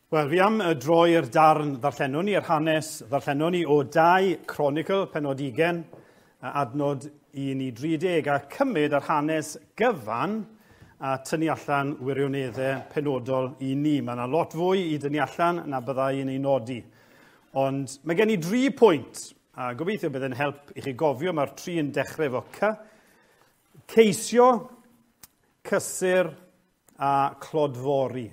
Wel, fi am droi'r darn ddarllenwn ni, yr hanes ddarllenwn ni o 2 Cronicl, penod 20, adnod 1 i 30, a cymryd yr hanes gyfan a tynnu allan wirioneddau penodol i ni. Mae yna lot fwy i dynnu allan na byddai i'n ei nodi. Ond mae gen i 3 pwynt, a gobeithio bydd yn help i chi gofio, mae'r 3 yn dechrau efo C. Ceisio, cysur a clodfori.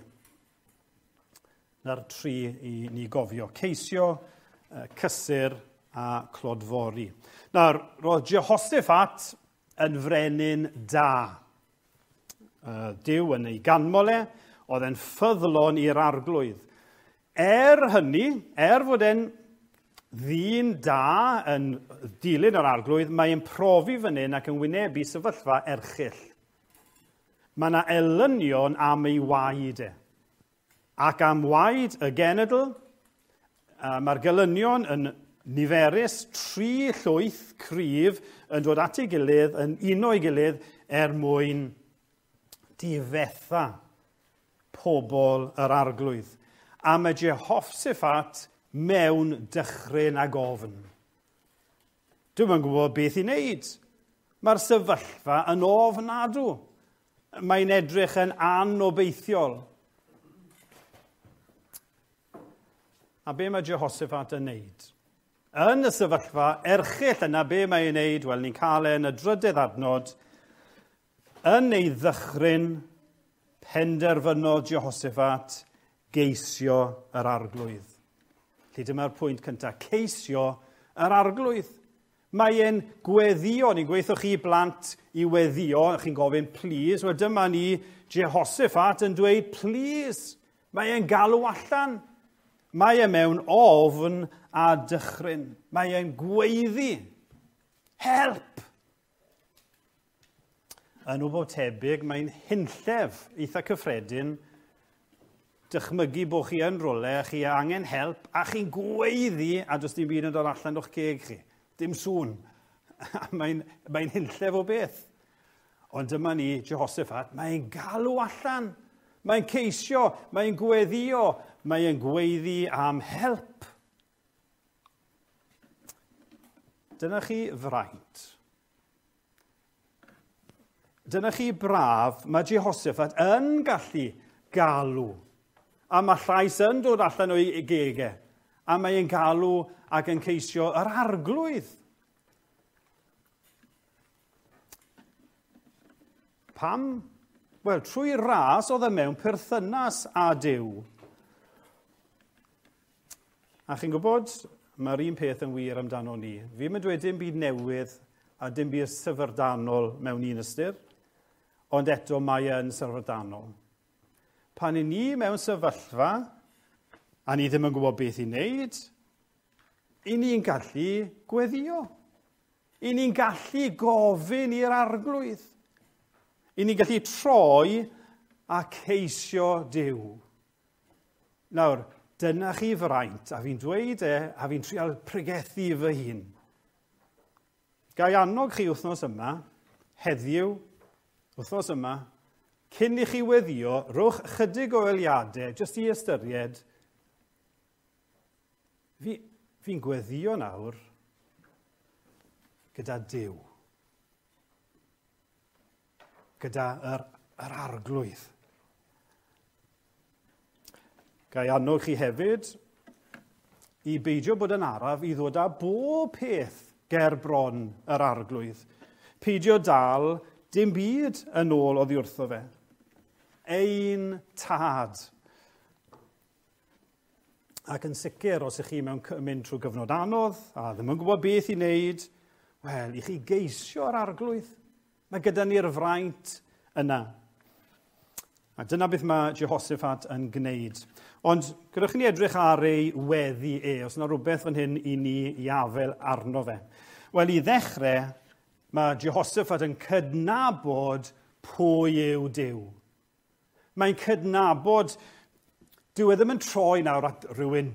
Na'r 3 i ni gofio. Ceisio, cysur a clodfori. Nawr, roedd Jehoshaphat yn frenin da. Duw yn ei ganmol e, oedd e'n ffyddlon i'r arglwydd. Er hynny, er fod e'n ddyn da yn dilyn yr arglwydd, mae'n profi fan hyn ac yn wynebu sefyllfa erchyll. Mae yna elynion am ei waed e. Ac am waed y genedl, mae'r gelynion yn niferus, 3 llwyth cryf yn dod at ei gilydd, yn uno ei gilydd er mwyn difetha pobl yr arglwydd. A mae Jehoshaphat mewn dychryn ag ofn. Dwi'm yn gwybod beth i wneud. Mae'r sefyllfa yn ofnadw. Mae'n edrych yn anobeithiol. A be mae Jehoshaphat yn wneud? Yn y sefyllfa erchyll yna, be mae'n ei wneud? Wel, ni'n cael e yn y drydydd adnod. Yn ei ddychryn, penderfynodd Jehoshaphat geisio yr arglwydd. Felly dyma'r pwynt cyntaf, ceisio yr arglwydd. Mae e'n gweddio, ni'n gweithio chi blant i weddio, chi'n gofyn please. Wel, dyma ni Jehoshaphat yn dweud please. Mae e'n galw allan. Mae e mewn ofn a dychryn. Mae e'n gweiddi. Help! Yn wbl tebyg, mae'n hunllef eitha cyffredin dychmygu bod chi yn rwle, chi angen help, a chi'n gweiddi, a does dim byd yn dod allan o'ch ceg chi. Dim sŵn. Mae'n hunllef o beth. Ond dyma ni, Jehoshaphat, mae'n galw allan. Mae'n ceisio, mae'n gweddio, mae'n gweiddi am help. Dyna chi fraint. Dyna chi braf, mae Jehoshaphat yn gallu galw. A mae llais yn dod allan o'i gege. A mae'n galw ac yn ceisio yr arglwydd. Pam? Wel, trwy ras oedd e mewn perthynas â Duw. A chi'n gwybod, mae'r un peth yn wir amdano ni. Fi'm yn dweud dim byd newydd a dim byd syfrdanol mewn un ystyr, ond eto mae e'n syfrdanol. Pan i ni mewn sefyllfa, a ni ddim yn gwybod beth i wneud, i ni'n gallu gweddio. I ni'n gallu gofyn i'r arglwydd. I ni'n gallu troi a ceisio Duw. Nawr, dyna chi fraint, a fi'n dweud e, a fi'n trial pregethu fy hun. Ga i annog chi wythnos yma, heddiw, wythnos yma, cyn i chi weddio, rhowch chydig o eiliadau, jyst i ystyried, fi'n gweddio nawr gyda Duw. Gyda yr arglwydd. Ga i annog chi hefyd i beidio bod yn araf i ddod â bob peth ger bron yr arglwydd. Peidio dal dim byd yn ôl oddi wrtho fe. Ein tad. Ac yn sicr, os ych chi mewn mynd trwy gyfnod anodd a ddim yn gwybod beth i wneud, wel, i chi geisio'r arglwydd. Mae gyda ni'r fraint yna. A dyna beth mae Jehoshaphat yn gwneud. Ond gyda ni edrych ar ei weddi e, os yna rhywbeth fan hyn i ni i afael arno fe. Wel, i ddechrau, mae Jehoshaphat yn cydnabod pwy yw Duw. Mae'n cydnabod, dyw e ddim yn troi nawr at rhywun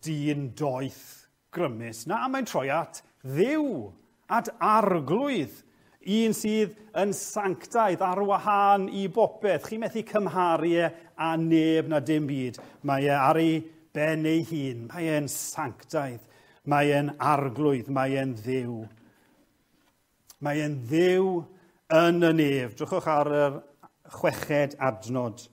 dyn doeth grymus. Na, mae'n troi at Dduw, at arglwydd Un sydd yn sanctaidd ar wahân i bopeth. Chi'n methu cymharu e â neb na dim byd. Mae e ar ei ben ei hun. Mae e'n sanctaidd. Mae e'n arglwydd. Mae e'n Dduw. Mae e'n Dduw yn y nef. Drychwch ar yr 6fed adnod.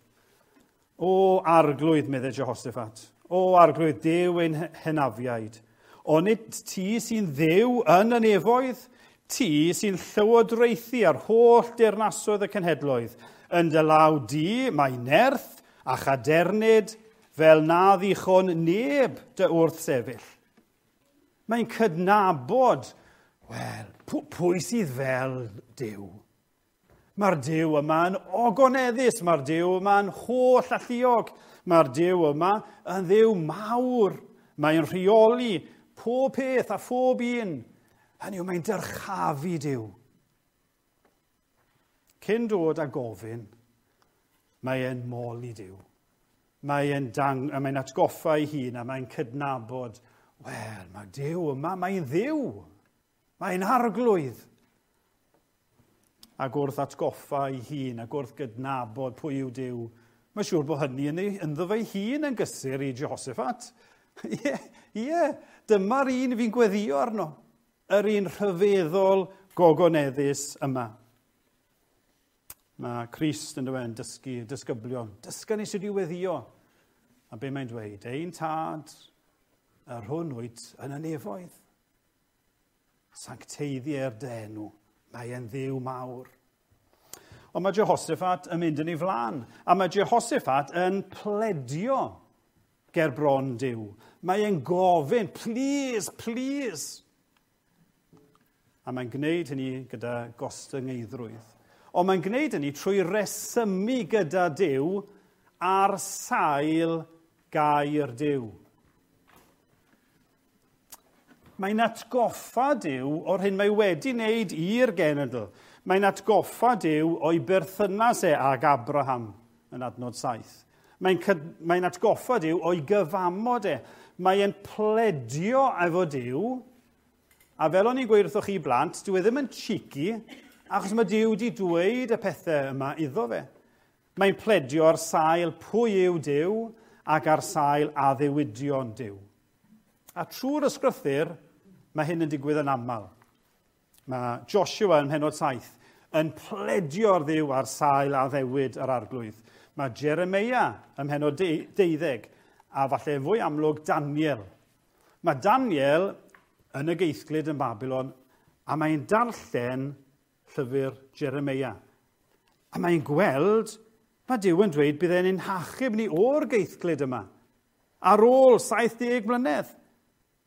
O arglwydd, meddai Jehoshaphat. O arglwydd, Duw ein hynafiaid. Onid ti sy'n Dduw yn y nefoedd? Ti sy'n llywodraethu ar holl deyrnasoedd y cenhedloedd. Yn dy law di mae nerth a chadernid fel na ddichon neb dy wrthsefyll. Mae'n cydnabod, wel, pwy sydd fel Duw? Mae'r Duw yma'n ogoneddus, mae'r Duw yma'n holl alluog, mae'r Duw yma yn Dduw mawr. Mae'n rheoli pob peth a phob un. Hynny yw, mae'n dyrchafu Duw. Cyn dod a gofyn, mae e'n moli Duw. Mae'n mae atgoffa ei hun a mae'n cydnabod, wel, mae Duw yma, mae'n Dduw. Mae'n arglwydd. Ac wrth atgoffa ei hun, ac wrth gydnabod pwy yw Duw, mae'n siŵr bod hynny ynddo fe'i hun yn gysur i Jehoshaphat. Ie, dyma'r un fi'n gweddio arno. Yr un rhyfeddol gogoneddus yma. Mae Crist yn dweud, dysgu disgyblion. Dysga ni sut i weddio. A be mae'n dweud? Ein tad, yr hwn wyt yn y nefoedd. Sancteiddier dy enw. Mae e'n Dduw mawr. Ond mae Jehoshaphat yn mynd yn ei flaen. A mae Jehoshaphat yn pledio ger bron Duw. Mae e'n gofyn, please, please. A mae'n gwneud hynny gyda gostyngeiddrwydd. Ond mae'n gwneud hynny trwy resymu gyda Duw ar sail gair Duw. Mae'n atgoffa Duw o'r hyn mae wedi wneud i'r genedl. Mae'n atgoffa Duw o'i berthynas e ag Abraham yn adnod 7. Mae'n atgoffa Duw o'i gyfamod e. Mae'n pledio efo Duw, a fel o'n i'n gweud wrthoch chi blant, dyw e ddim yn cheeky, achos mae Duw wedi dweud y pethau yma iddo fe. Mae'n pledio ar sail pwy yw Duw ac ar sail addewidion Duw. A trwy'r ysgrythur, mae hyn yn digwydd yn aml. Mae Joshua yn mhennod 7 yn pledio ar Dduw ar sail addewid yr arglwydd. Mae Jeremia ym mhennod 12 a falle fwy amlwg Daniel. Mae Daniel yn y geithglyd yn Babylon a mae'n darllen llyfr Jeremia. A mae'n gweld, mae Duw yn dweud bydd e'n ein hachub ni o'r geithglyd yma ar ôl 70 mlynedd.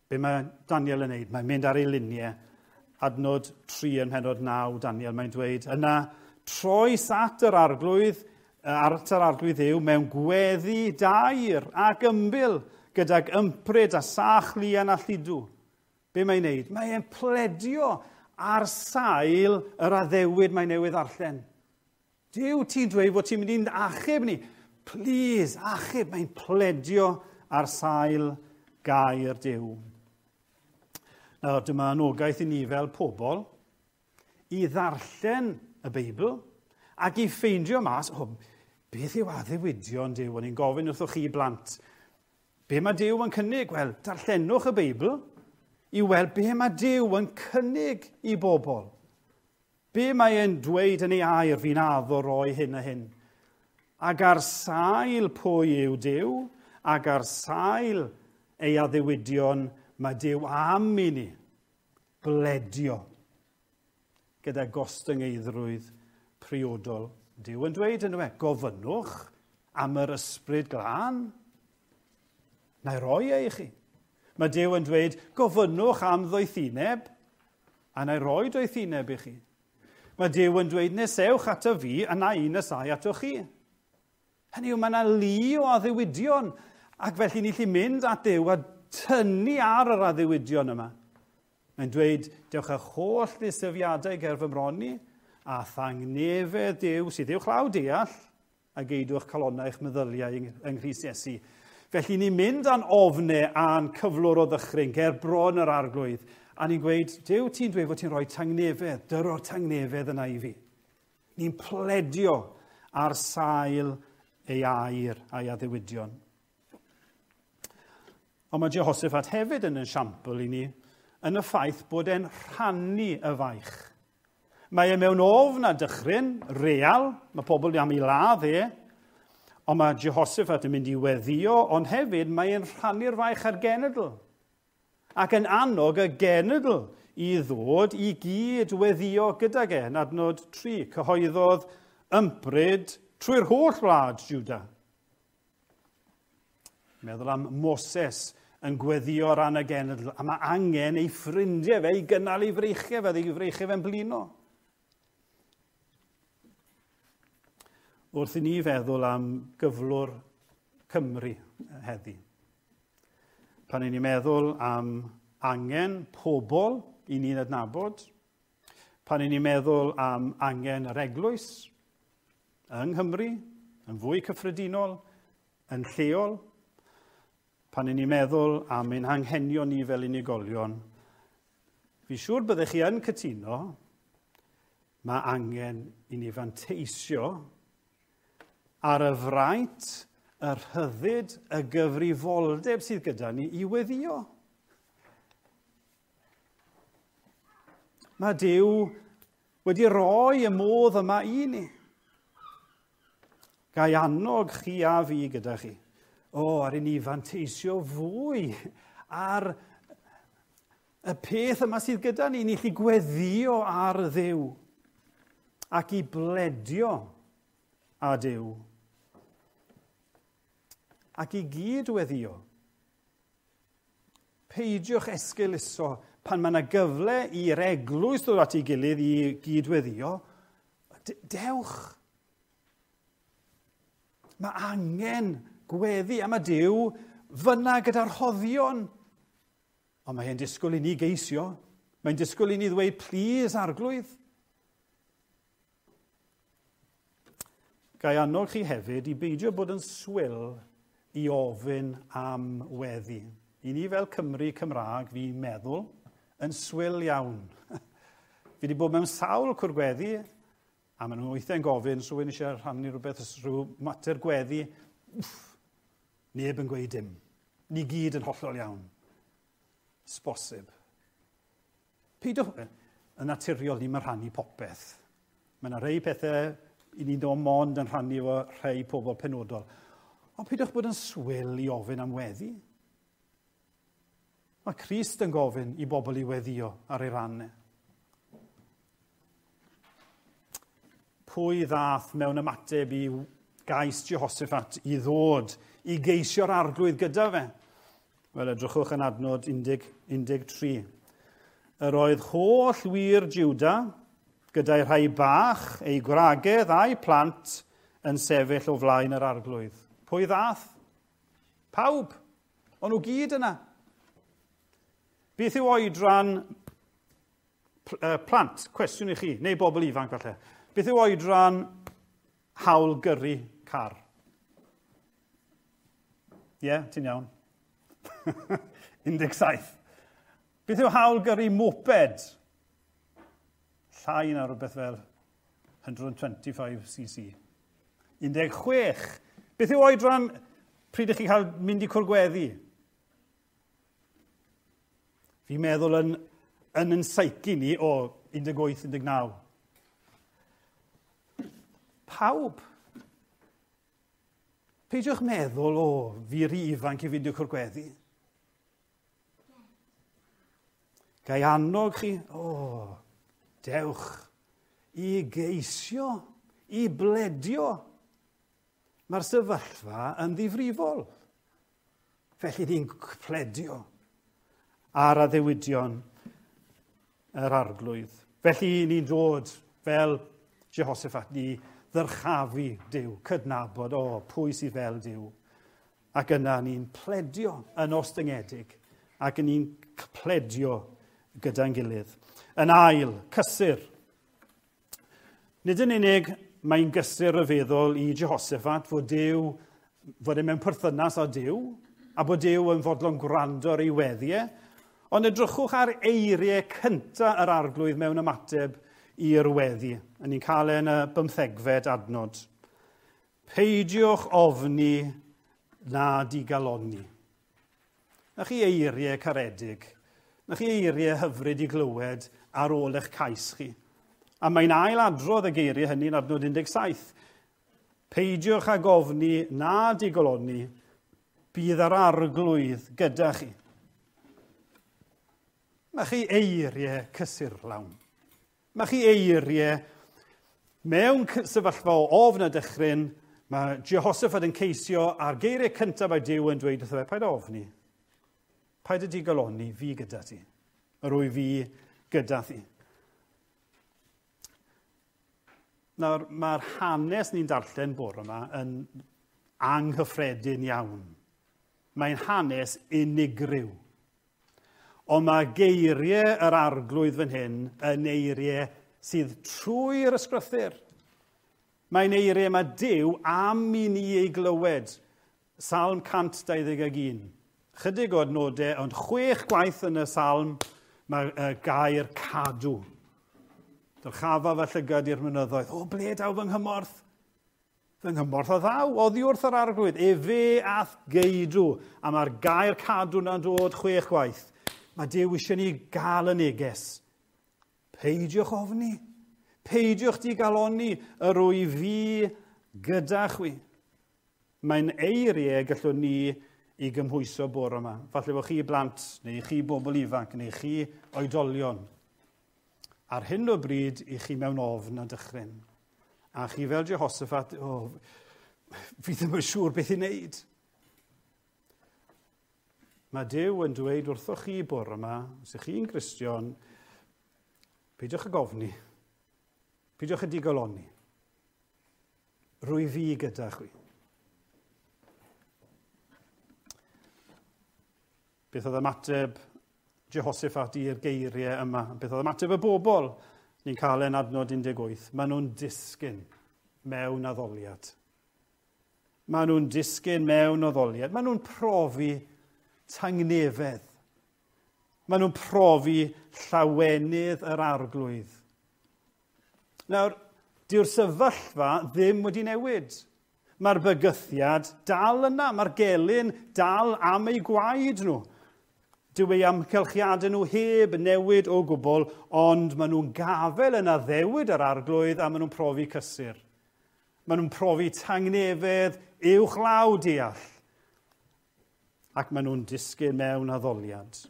Be mae Daniel yn neud? Mae'n mynd ar ei luniau. Adnod 3 yn mhennod 9, Daniel, mae'n dweud, yna troes at yr arglwydd, at yr arglwydd Dduw mewn gweddi dair ac ymbil gydag ympryd a sach lian a lludw. Be mae'n neud? Mae'n pledio ar sail yr addewid mae newydd ddarllen. Duw, ti'n dweud fod ti'n mynd i'n achub ni. Please, achub. Mae'n pledio ar sail gair Duw. Nawr, dyma anogaeth i ni fel pobl i ddarllen y Beibl ac i ffeindio mas, oh, beth yw addewidion Duw? O'n i'n gofyn wrthoch chi blant, be mae Duw yn cynnig? Wel, darllenwch y Beibl i weld be mae Duw yn cynnig i bobl. Be mae e'n dweud yn ei air, fi'n addo roi hyn a hyn. Ac ar sail pwy yw Duw, ac ar sail ei addewidion, mae Duw am i ni bledio gyda gostyngeiddrwydd priodol. Duw yn dweud yn e, gofynnwch am yr ysbryd glân, na i roi e i chi. Mae Duw yn dweud, gofynnwch am ddoethineb, a na i roi doethineb i chi. Mae Duw yn dweud, nesewch ato fi, a na i nesau ato chi. Hynny yw, mae yna lu o addewidion, ac felly ni allu mynd at Duw a tynnu ar yr addewidion yma. Mae'n dweud, dewch â'ch holl ddisylfiadau ger fy mron i, a thangnefedd Duw sydd uwchlaw deall, a geidwch calonnau eich meddyliau yng Nghrist Iesu. Felly ni'n mynd â'n ofnau a'n cyflwr o ddychryn ger bron yr arglwydd, A ni'n gweud, Duw, ti'n dweud fod ti'n rhoi tangnefedd, dyro'r tangnefedd yna i fi. Ni'n pledio ar sail ei air a'i addewidion. Ond mae Jehoshaphat hefyd yn esiampl i ni yn y ffaith bod e'n rhannu y faich. Mae e mewn ofn a dychryn, real, mae pobl am ei ladd e, ond mae Jehoshaphat yn mynd i weddio, ond hefyd mae e'n rhannu'r faich ar genedl. Ac yn annog y genedl i ddod i gyd weddio gydag e. Yn adnod 3, cyhoeddodd ympryd trwy'r holl wlad Juda. Meddwl am Moses yn gweddio ran y genedl, a mae angen ei ffrindiau fe i gynnal ei freichiau fe, ei freichiau fe'n blino. Wrth i ni feddwl am gyflwr Cymru heddi, pan i ni'n meddwl am angen pobl i ni'n adnabod, pan i ni'n meddwl am angen yr eglwys yng Nghymru, yn fwy cyffredinol, yn lleol, pan i ni'n meddwl am ein hanghenion ni fel unigolion, fi siŵr byddech chi yn cytuno, mae angen i ni fanteisio ar y fraint, y rhyddid, y gyfrifoldeb sydd gyda ni i weddio. Mae Duw wedi rhoi y modd yma i ni. Gai annog chi a fi gyda chi. O, ar i ni fanteisio fwy ar y peth yma sydd gyda ni. Ni allu gweddio ar Dduw ac i bledio â Duw. Ac i gyd weddio. Peidiwch esgeuluso pan mae yna gyfle i'r eglwys ddod at ei gilydd i gyd-weddio. Dewch. Mae angen gweddi am y Duw fyna gyda'r rhoddion. Ond mae e'n disgwyl i ni geisio. Mae'n disgwyl i ni ddweud, plîs, Arglwydd. Gai annog chi hefyd i beidio bod yn swil i ofyn am weddi. I ni fel Cymry Cymraeg, fi'n meddwl, yn swil iawn. Fi wedi bod mewn sawl cwrgweddi, a maen nhw weithiau'n gofyn, so rhywun eisiau rhannu rhywbeth, rhyw mater gweddi, wff, neb yn gweud dim. Ni gyd yn hollol iawn. Sbosib. Peidiwch, yn naturiol ni'n rhannu popeth. Mae yna rhai pethau i ni ddod mond yn rhannu efo rhai pobl penodol. Ond peidiwch bod yn swil i ofyn am weddi. Mae Crist yn gofyn i bobl i weddio ar ei ran. Pwy ddath mewn ymateb i gais Jehoshaphat i ddod i geisio'r Arglwydd gyda fe? Wel, edrychwch yn adnod 13. Yr oedd holl wir Juda gyda'i rhai bach, ei gwragedd a'i plant yn sefyll o flaen yr Arglwydd. Pwy ddath? Pawb. O'n nhw gyd yna. Beth yw oedran plant? Cwestiwn i chi, neu bobl ifanc falle. Beth yw oedran hawl gyrru car? Ie, yeah, ti'n iawn. 17. Beth yw hawl gyrru moped? Llai na rhywbeth fel 125cc. 16. Beth yw oedran pryd ych chi'n cael mynd i cwrgweddi? Fi'n meddwl yn psyche ni o 18, 19. Pawb. Peidiwch meddwl, o, fi rhy ifanc i fynd i'w cwrgweddi. Gai annog chi, o, dewch i geisio, i bledio. Mae'r sefyllfa yn ddifrifol. Felly ni'n pledio ar addewidion yr Arglwydd. Felly ni'n dod fel Jehoshaphat, ni ddyrchafu Duw, cydnabod, o, pwy sydd fel Duw. Ac yna ni'n pledio yn ostyngedig, ac ni'n pledio gyda'n gilydd. Yn ail, cysur. Nid yn unig mae'n gysur ryfeddol i Jehoshaphat fod Duw, fod e mewn perthynas â Duw, a bod Duw yn fodlon gwrando ar ei weddiau, Ond edrychwch ar eiriau cyntaf yr Arglwydd mewn ymateb i'r weddi. A ni'n cael e yn y 15fed adnod. Peidiwch ofni na digalonni. Na chi eiriau caredig, na chi eiriau hyfryd i glywed ar ôl eich cais chi. A mae'n ail adrodd y geiriau hynny yn adnod 17. Peidiwch ag ofni na digoloni, bydd yr Arglwydd gyda chi. Mae chi eiriau cysurlawn. Mae chi eiriau mewn sefyllfa o ofn a dychryn, mae Jehoshaphat yn ceisio a'r geiriau cyntaf mae Duw yn dweud wrtho fe, paid ofni. Paid y digoloni, fi gyda ti. Yr wyf fi gyda thi. Nawr, mae'r hanes ni'n darllen bore yma yn anghyffredin iawn. Mae'n hanes unigryw. Ond mae geiriau yr Arglwydd fan hyn yn eiriau sydd trwy'r ysgrythur. Mae'n eiriau mae Duw am i ni ei glywed. Salm 121. Chydig o adnodau, ond 6 gwaith yn y salm mae gair cadw. Dyrchafa fy llygad i'r mynyddoedd. O, ble daw fy nghymorth? Fy nghymorth a ddaw, oddi wrth yr Arglwydd. Efe ath geidw. A mae'r gair cadw na'n dod 6 gwaith. Mae Duw eisiau ni gael y neges. Peidiwch ofni. Peidiwch digalonni, yr wyf fi gyda chwi. Mae'n eiriau gallwn ni i gymhwyso bore yma. Falle bod chi blant, neu chi bobl ifanc, neu chi oedolion. Ar hyn o bryd, i chi mewn ofn a dychryn. A chi fel Jehoshaphat, o, fi ddim yn siŵr beth i wneud. Mae Duw yn dweud wrthoch chi bore yma, os ych chi'n Gristion, peidiwch ag ofni, peidiwch â digoloni. Rwy fi gyda chwi. Beth oedd ymateb Jehoshaphat i'r geiriau yma? Beth oedd ymateb y bobl? Ni'n cael e'n adnod 18. Maen nhw'n disgyn mewn addoliad. Maen nhw'n disgyn mewn addoliad. Maen nhw'n profi tangnefedd. Maen nhw'n profi llawenydd yr Arglwydd. Nawr, dyw'r sefyllfa ddim wedi newid. Mae'r bygythiad dal yna, mae'r gelyn dal am eu gwaed nhw. Dyw eu amgylchiadau nhw heb newid o gwbl, ond maen nhw'n gafel yn addewid yr Arglwydd a maen nhw'n profi cysur. Maen nhw'n profi tangnefedd uwchlaw deall. Ac maen nhw'n disgyn mewn addoliad.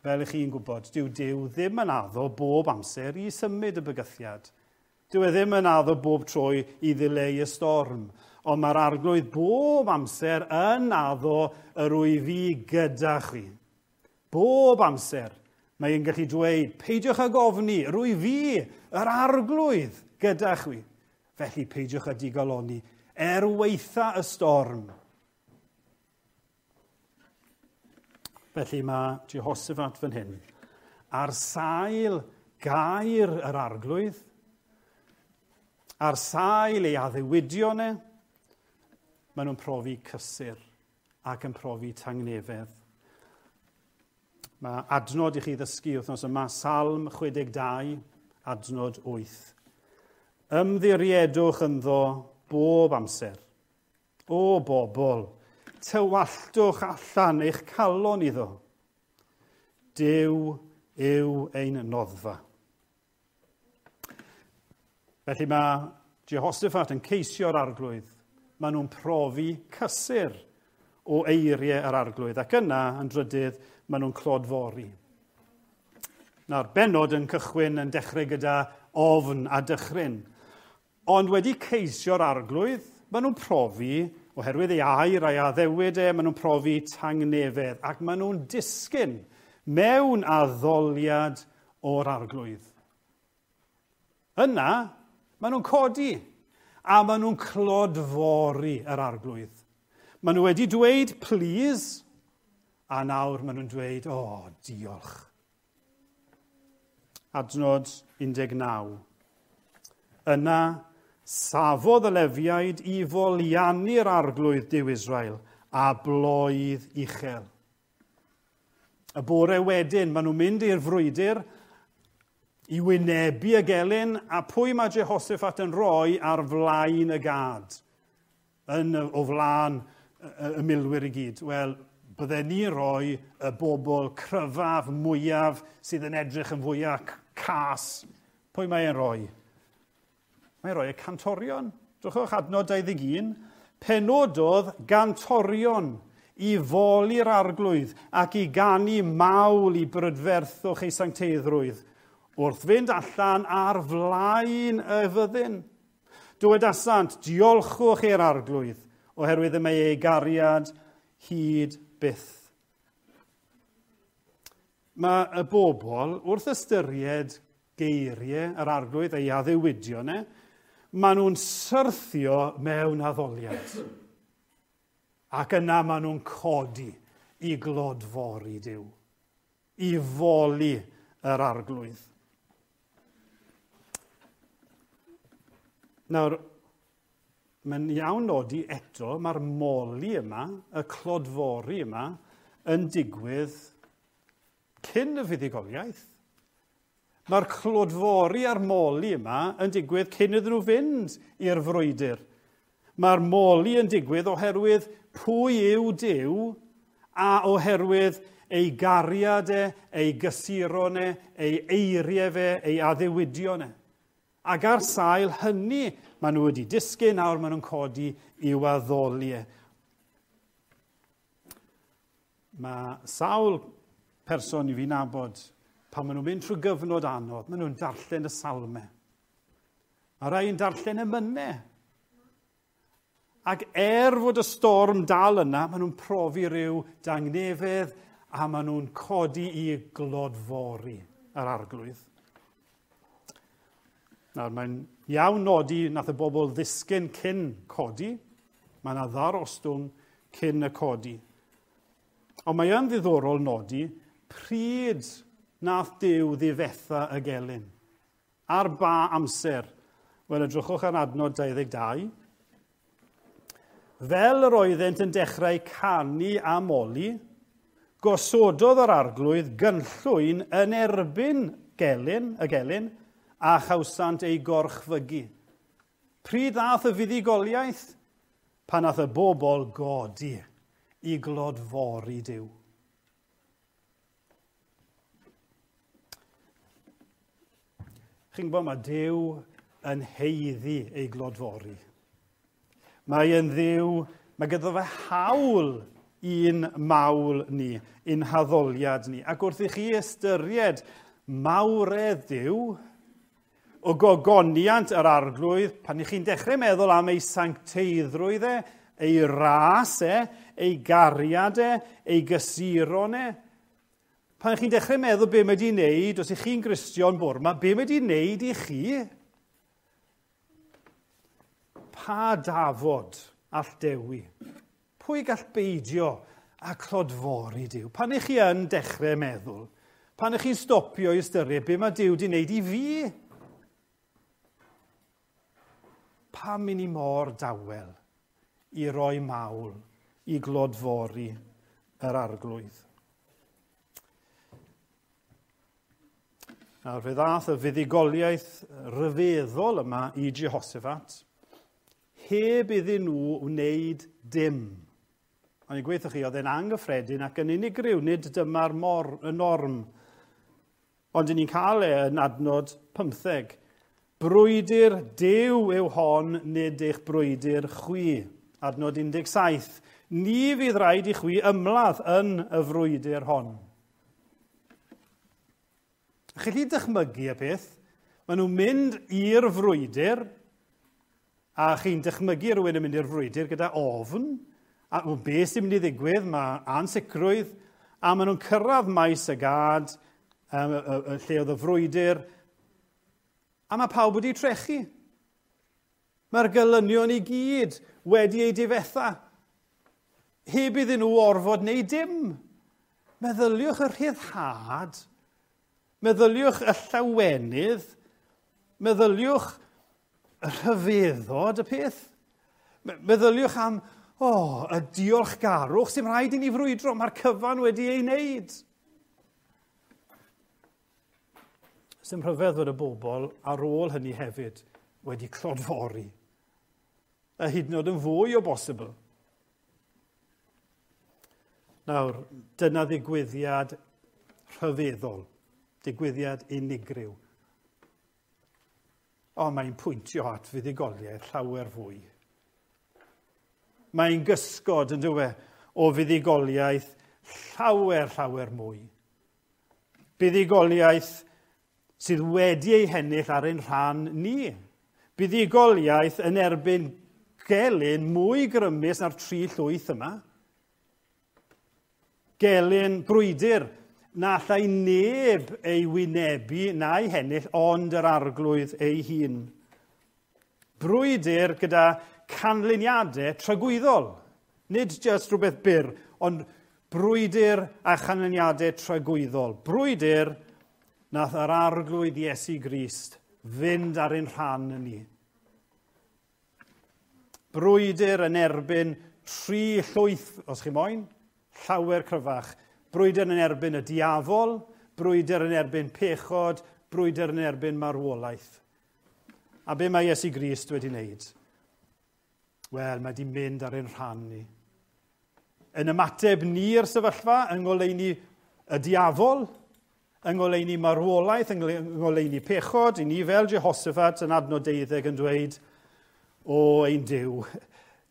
Fel ych chi'n gwybod, dyw Duw ddim yn addo bob amser i symud y bygythiad. Dyw e ddim yn addo bob tro i ddileu y storm, ond mae'r Arglwydd bob amser yn addo yr wyf fi gyda chi. Bob amser mae'n gallu dweud, peidiwch ag ofni, rwy fi, yr Arglwydd, gyda chwi. Felly peidiwch â digalonni, er waetha y storm. Felly mae Jehoshaphat fan hyn, ar sail gair yr Arglwydd, ar sail ei addewidion e, maen nhw'n profi cysur ac yn profi tangnefedd. Mae adnod i chi ddysgu wythnos yma, Salm 62, adnod 8. Ymddiriedwch ynddo bob amser. O bobl, tywalltwch allan eich calon iddo. Duw yw ein noddfa. Felly mae Jehoshaphat yn ceisio'r Arglwydd. Maen nhw'n profi cysur o eiriau yr Arglwydd. Ac yna, yn drydydd, maen nhw'n clodfori. Nawr, bennod yn cychwyn yn dechrau gyda ofn a dychryn. Ond wedi ceisio'r Arglwydd, maen nhw'n profi, oherwydd ei air a'i addewid e, maen nhw'n profi tangnefedd. Ac maen nhw'n disgyn mewn addoliad o'r Arglwydd. Yna, maen nhw'n codi a maen nhw'n clodfori yr Arglwydd. Maen nhw wedi dweud, please, a nawr maen nhw'n dweud, o, oh, diolch. Adnod 19. Yna, safodd y Lefiaid i foliannu'r Arglwydd Duw Israel a bloedd uchel. Y bore wedyn, maen nhw'n mynd i'r frwydr i wynebu y gelyn, a pwy mae Jehoshaphat yn rhoi ar flaen y gad, o flaen y milwyr i gyd? Wel, bydden ni'n rhoi y bobl cryfaf, mwyaf, sydd yn edrych yn fwyaf cas. Pwy mae e'n rhoi? Mae'n rhoi y cantorion. Drychwch adnod 21. Penododd gantorion i foli'r arglwydd ac i ganu mawl i brydferthwch ei sancteiddrwydd wrth fynd allan ar flaen y fyddin. Dywedasant, diolchwch i'r arglwydd, oherwydd y mae ei gariad hyd byth. Mae y bobl, wrth ystyried geiriau yr arglwydd ei addewidion e, maen nhw'n syrthio mewn addoliad. Ac yna maen nhw'n codi i glodfori Duw, i foli yr arglwydd. Nawr, mae'n iawn nodi eto, mae'r moli yma, y clodfori yma, yn digwydd cyn y fuddugoliaeth. Mae'r clodfori a'r moli yma yn digwydd cyn iddyn nhw fynd i'r frwydr. Mae'r moli yn digwydd oherwydd pwy yw Duw a oherwydd ei gariad e, ei gysuron e, ei eiriau fe, ei addewidion e. Ac ar sail hynny, maen nhw wedi disgyn, nawr maen nhw'n codi i'w addoli e. Mae sawl person i fi nabod, pan maen nhw'n mynd trwy gyfnod anodd, maen nhw'n darllen y salmau. Mae rhai yn darllen emynau. Ac fod y storm dal yna, maen nhw'n profi rhyw dangnefedd a maen nhw'n codi i glodfori yr arglwydd. Nawr, mae'n iawn nodi nath y bobl ddisgyn cyn codi. Mae yna ddarostwng cyn y codi. Ond mae yn ddiddorol nodi pryd nath Duw ddifetha y gelyn. Ar ba amser? Wel, edrychwch ar adnod 22. Fel yr oeddent yn dechrau canu a moli, gosododd yr arglwydd gynllwyn yn erbyn gelyn, y gelyn, a chawsant ei gorchfygu. Pryd ddath y fuddugoliaeth? Pan nath y bobl godi i glodfori Duw. Chi'n gwybod, mae Duw yn haeddu ei glodfori. Mae yn Dduw, mae gyda fe hawl i'n mawl ni, i'n haddoliad ni. Ac wrth i chi ystyried mawredd Duw, o gogoniant yr arglwydd, pan i chi'n dechrau meddwl am ei sancteiddrwydd e, ei ras e, ei gariad e, ei gysuron e, pan chi'n dechrau meddwl be mae wedi wneud, os ych chi'n Gristion bore 'ma, be mae wedi wneud i chi? Pa dafod all dewi? Pwy gall beidio a clodfori Duw? Pan ych chi yn dechrau meddwl, pan ych chi'n stopio i ystyried be mae Duw wedi wneud i fi? Pam i ni mor dawel i roi mawl, i glodfori yr arglwydd? Nawr, fe ddath y fuddugoliaeth ryfeddol yma i Jehoshaphat, heb iddyn nhw wneud dim. Ond i'n gweithio chi, oedd e'n anghyffredin ac yn unigryw, nid dyma'r y norm. Ond ni'n cael e yn adnod 15. Brwydr Duw yw hon, nid eich brwydr chwi. Adnod 17. Ni fydd rhaid i chwi ymladd yn y frwydr hon. Chi'n gallu dychmygu y peth? Maen nhw'n mynd i'r frwydr, a chi'n dychmygu rhywun yn mynd i'r frwydr gyda ofn, a beth sy'n mynd i ddigwydd, mae ansicrwydd, a maen nhw'n cyrraedd maes y gad, lle oedd y frwydr, a mae pawb wedi trechu. Mae'r gelynion i gyd wedi eu difetha. Heb iddyn nhw orfod neu dim. Meddyliwch y rhyddhad, meddyliwch y llawenydd, meddyliwch y rhyfeddod y peth. Meddyliwch am, y diolchgarwch sy'n rhaid i ni frwydro, mae'r cyfan wedi ei wneud. Sdim rhyfedd fod y bobl ar ôl hynny hefyd wedi clodfori. A hyd yn oed yn fwy o bosibl. Nawr, dyna ddigwyddiad rhyfeddol, digwyddiad unigryw. Ond mae'n pwyntio at fuddugoliaeth llawer fwy. Mae'n gysgod, yn dyw e, o fuddugoliaeth llawer, llawer mwy. Buddugoliaeth sydd wedi ei hennill ar ein rhan ni. Buddugoliaeth yn erbyn gelyn mwy grymus na'r tri llwyth yma. Gelyn brwydr na allai neb ei wynebu na'i hennill ond yr Arglwydd ei hun. Brwydr gyda canlyniadau tragwyddol. Nid jyst rhywbeth byr, ond brwydr a chanlyniadau tragwyddol. Brwydr nath yr Arglwydd Iesu Grist fynd ar ein rhan ni. Brwydr yn erbyn tri llwyth, os chi moyn, llawer cryfach. Brwydr yn erbyn y diafol, brwydr yn erbyn pechod, brwydr yn erbyn marwolaeth. A be mae Iesu Grist wedi wneud? Wel, mae wedi mynd ar ein rhan ni. Yn ymateb ni'r sefyllfa, yng ngoleuni y diafol, yng ngoleuni marwolaeth, yng ngoleuni pechod, i ni fel Jehoshaphat yn adnod 12 yn dweud, o ein Duw,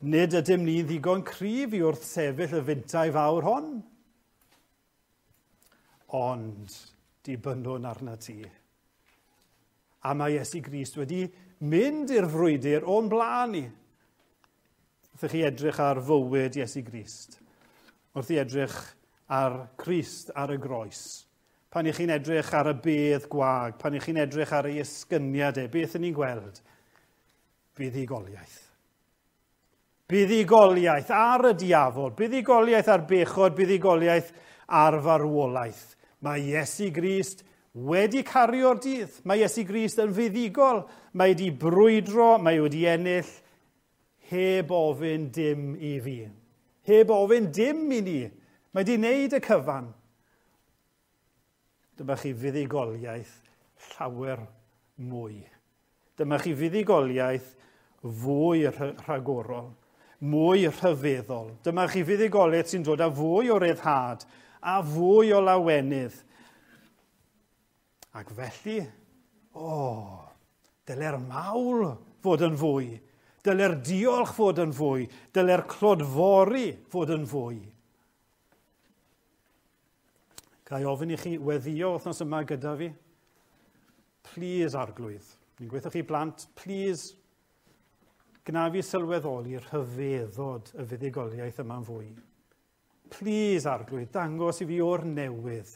nid ydym ni ddigon cryf i wrthsefyll y fintai fawr hon. Ond dibynnwn arna ti. A mae Iesu Grist wedi mynd i'r frwydr o'n blaen ni. Wrth i chi edrych ar fywyd Iesu Grist, wrth i edrych ar Crist ar y groes, pan i chi'n edrych ar y bedd gwag, pan i chi'n edrych ar ei esgyniad e, beth ydyn ni'n gweld? Buddugoliaeth. Buddugoliaeth ar y diafol, buddugoliaeth ar bechod, buddugoliaeth ar farwolaeth. Mae Iesu Grist wedi cario'r dydd. Mae Iesu Grist yn fuddugol. Mae wedi brwydro, mae wedi ennill, heb ofyn dim i fi. Heb ofyn dim i ni. Mae wedi wneud y cyfan. Dyma chi fuddugoliaeth llawer mwy. Dyma chi fuddugoliaeth fwy rhagorol, mwy rhyfeddol. Dyma chi fuddugoliaeth sy'n dod â fwy o ryddhad a fwy o lawenydd. Ac felly, dyle'r mawl fod yn fwy. Dyle'r diolch fod yn fwy. Dyle'r clodfori fod yn fwy. Ga i ofyn i chi weddio wythnos yma gyda fi? Please, Arglwydd. Ni'n gweithio chi blant, please, gna fi sylweddoli rhyfeddod y fuddugoliaeth yma'n fwy. Please, Arglwydd, dangos i fi o'r newydd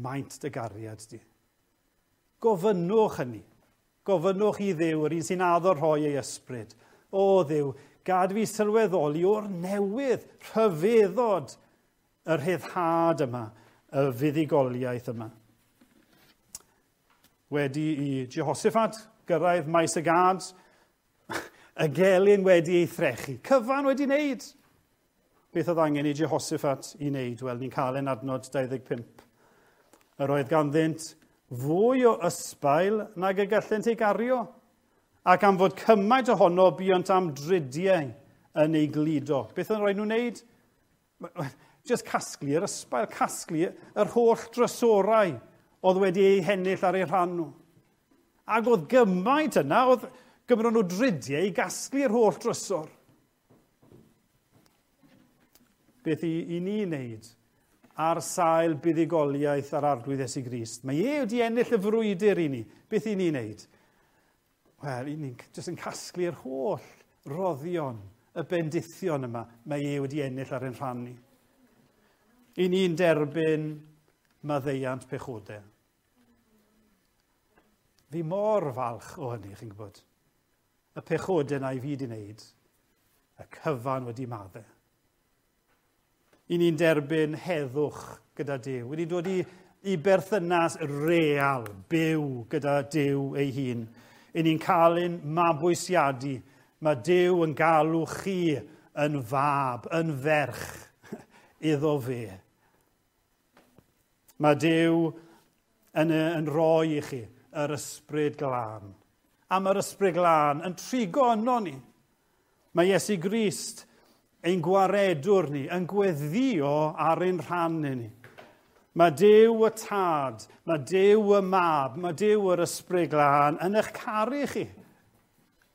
maint dy gariad di. Gofynnwch hynny. Gofynnwch i Dduw, yr un sy'n addo rhoi ei ysbryd. O Dduw, gad fi sylweddoli o'r newydd rhyfeddod y rhyddhad yma, y fuddugoliaeth yma. Wedi i Jehoshaphat gyrraedd maes y gad, y gelyn wedi ei threchu. Cyfan wedi wneud. Beth oedd angen i Jehoshaphat i wneud? Wel, ni'n cael ein adnod 25. Yr oedd ganddynt fwy o ysbail nag y gallent ei gario, ac am fod cymaint ohono buont am dridiau yn ei gludo. Beth oedd rhaid nhw'n wneud? Just casglu yr ysbail, casglu yr holl drysorau oedd wedi eu hennill ar eu rhan nhw. Ac oedd gymaint yna, oedd gymryd nhw dridiau i gasglu'r holl drysor. Beth i ni wneud ar sail buddugoliaeth ar Arglwydd Iesu Grist? Mae e wedi ennill y frwydr i ni. Beth i ni wneud? Wel, i ni'n jyst yn casglu'r holl roddion, y bendithion yma, mae e wedi ennill ar ein rhan ni. I ni'n derbyn maddeuant pechodau. Fi mor falch o hynny, chi'n gwybod. Y pechodau na i fi wedi wneud, y cyfan wedi maddau. I ni'n derbyn heddwch gyda Duw. Wedi dod i berthynas real, byw gyda Duw ei hun. I ni'n cael ein mabwysiadu. Mae Duw yn galw chi yn fab, yn ferch iddo fe. Mae Duw yn rhoi i chi yr Ysbryd Glân. Am yr Ysbryd Glân yn trigo yno ni. Mae Iesu Grist, ein gwaredwr ni, yn gweddio ar ein rhan ni. Mae Duw y Tad, mae Duw y Mab, mae Duw yr Ysbryd Glân yn eich caru chi.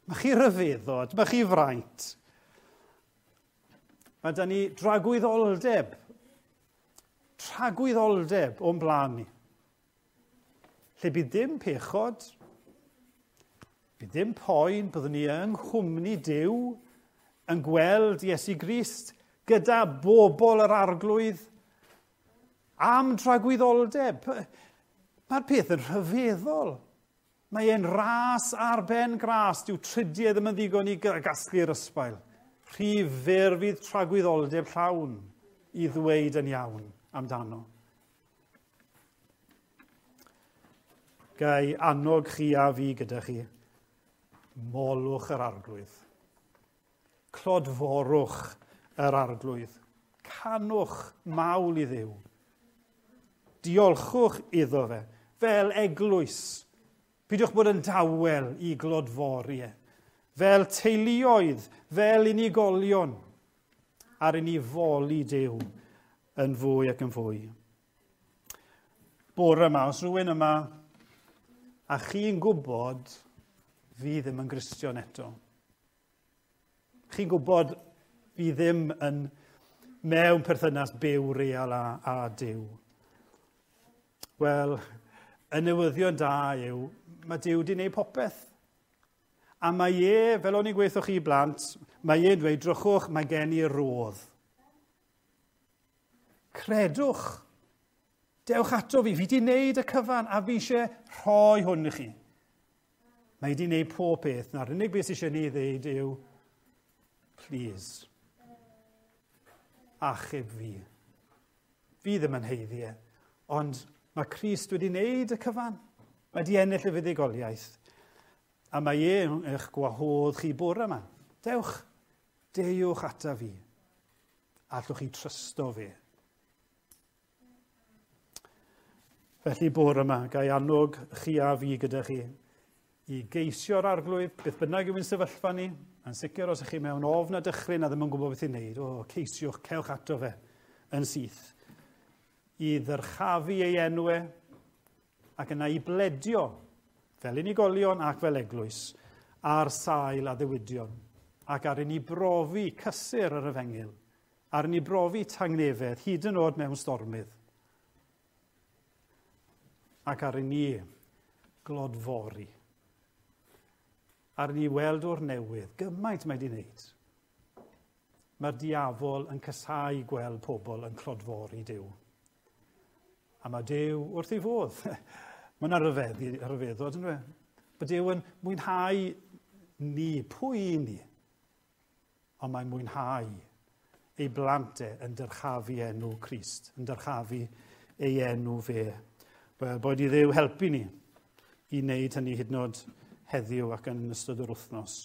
Mae chi ryfeddod, mae chi fraint. Mae da ni dragwyddoldeb, tragwyddoldeb o'n blaen ni. Lle bydd dim pechod, bydd dim poen, byddwn ni yng nghwmni Duw yn gweld Iesu Grist gyda bobl yr Arglwydd am dragwyddoldeb. Mae'r peth yn rhyfeddol. Mae e'n ras ar ben gras. Dyw trydiau ddim yn ddigon i gasglu'r ysbail. Rhy fyr fydd tragwyddoldeb llawn i ddweud yn iawn amdano. Gai annog chi a fi gyda chi, molwch yr Arglwydd. Clodforwch yr Arglwydd. Canwch mawl i Dduw. Diolchwch iddo fe, fel eglwys. Peidiwch bod yn dawel i glodfori e. Fel teuluoedd, fel unigolion, ar i ni foli Duw yn fwy ac yn fwy. Bore yma, os rhywun yma, a chi'n gwybod fi ddim yn Gristion eto. Chi'n gwybod fi ddim yn mewn perthynas byw real a Duw. Wel, y newyddion da yw, mae Duw wedi gwneud popeth. A mae e, fel o'n i'n gweithio chi blant, mae e'n dweud, drychwch, mae gen i rodd. Credwch. Dewch ato fi, fi wedi gwneud y cyfan a fi eisiau rhoi hwn i chi. Mae wedi gwneud pob peth. Na'r unig beth sydd eisiau ni ddeud yw, please, achub fi. Fi ddim yn haeddu e, ond mae Crist wedi wneud y cyfan. Mae wedi ennill y fuddugoliaeth. A mae e eich gwahodd chi bore yma. Dewch, deuwch ata fi. Allwch chi trysto fi. Felly bore yma, gai annog chi a fi gyda chi i geisio'r Arglwydd, beth bynnag yw'n sefyllfa ni, yn sicr os ych chi mewn ofn a dychryn a ddim yn gwybod beth i'n wneud, o, ceisiwch, cewch ato fe yn syth. I ddyrchafu ei enw e, ac yna i bledio, fel unigolion ac fel eglwys, ar sail addewidion, ac ar i ni brofi cysur yr efengyl, ar i ni brofi tangnefedd, hyd yn oed mewn stormydd, ac ar i ni glodfori, ar i ni weld o'r newydd, gymaint mae wedi wneud. Mae'r diafol yn casáu gweld pobl yn clodfori Duw. A mae Duw wrth ei fodd. Mae yna rhyfeddod, yn dweud. Bod Duw yn mwynhau ni, pwy i ni, ond mae'n mwynhau ei blant e yn dyrchafu enw Crist, yn dyrchafu ei enw fe. Wel, boed i Dduw helpu ni i wneud hynny hyd yn oed heddiw ac yn ystod yr wythnos.